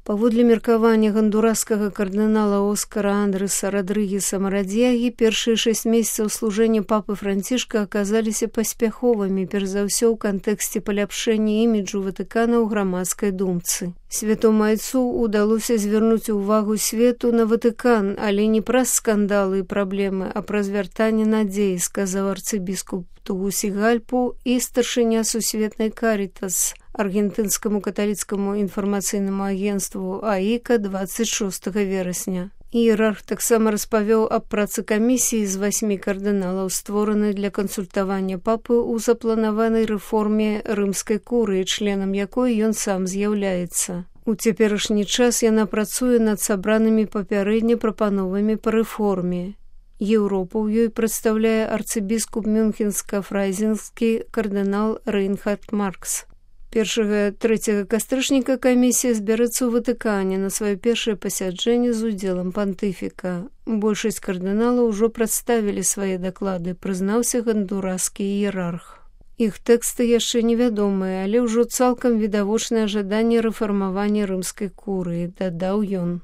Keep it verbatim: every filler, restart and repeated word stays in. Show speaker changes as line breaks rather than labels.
Паводле меркавання гондураскага кардынала Оскара Андреса Родрыгеса Марадзягі, першыя шэсць месяцаў служэння папы Францішка аказаліся паспяховымі, перш за ўсё ў кантэксце паляпшэння іміджу Ватыкана ў грамадскай думцы. Святому айцу ўдалося звярнуць увагу свету на Ватыкан, але не праз скандалы і праблемы, а праз вяртанне надзеі, сказаў арцыбіскуп Тугусігальпу і старшыня Сусветнай Карітас аргентынскаму каталіцкаму інфармацыйнаму агенству АІКА дваццаць шостага верасня. Іерарх таксама распавёў аб працы камісіі з васьмі кардыналаў, створанай для кансультавання папы ў запланаванай рэформе рымскай курыі, членам якой ён сам з'яўляецца. У цяперашні час яна працуе над сабранымі папярэдне прапановамі па рэформе. Еўропу ў ёй прадстаўляе арцыбіскуп мюнхенска-фрайзенскі кардынал Рейнхард Маркс. Першага трэцяга кастрычніка камісія збярэцца ў Ватыкане на сваё першае пасяджэнне з удзелам пантыфіка. Большасць кардыналаў ужо прадставілі свае даклады, прызнаўся гондураскі іерарх. Іх тэксты яшчэ невядомыя, але ўжо цалкам відавочнае жаданне рэфармавання рымскай курыі, дадаў ён.